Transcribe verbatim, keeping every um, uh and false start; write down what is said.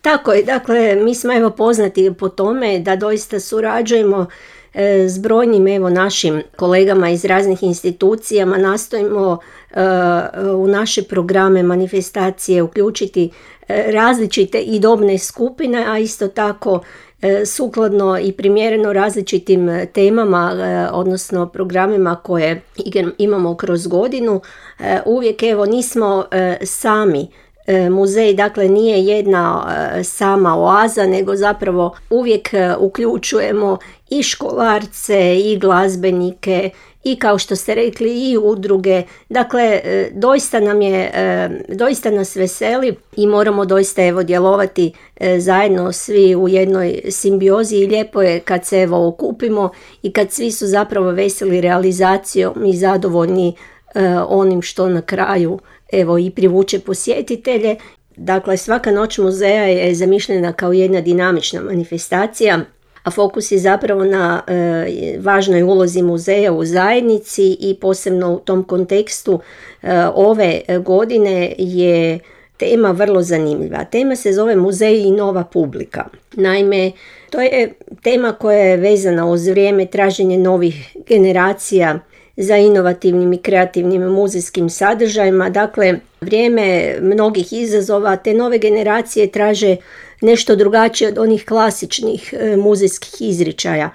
Tako je, dakle mi smo evo poznati po tome da doista surađujemo e, s brojnim evo našim kolegama iz raznih institucijama, nastojimo e, u naše programe manifestacije uključiti e, različite i dobne skupine, a isto tako e, sukladno i primjereno različitim temama, e, odnosno programima koje imamo kroz godinu. E, uvijek evo nismo e, sami. Muzej dakle nije jedna sama oaza, nego zapravo uvijek uključujemo i školarce i glazbenike i kao što ste rekli i udruge. Dakle, doista nam je, doista nas veseli i moramo doista evo djelovati zajedno svi u jednoj simbiozi i lijepo je kad se evo okupimo i kad svi su zapravo veseli realizacijom i zadovoljni onim što na kraju evo i privuče posjetitelje. Dakle, svaka noć muzeja je zamišljena kao jedna dinamična manifestacija, a fokus je zapravo na e, važnoj ulozi muzeja u zajednici i posebno u tom kontekstu e, ove godine je tema vrlo zanimljiva. Tema se zove Muzej i nova publika. Naime, to je tema koja je vezana uz vrijeme traženje novih generacija za inovativnim i kreativnim muzejskim sadržajima. Dakle, vrijeme mnogih izazova, te nove generacije traže nešto drugačije od onih klasičnih e, muzejskih izričaja.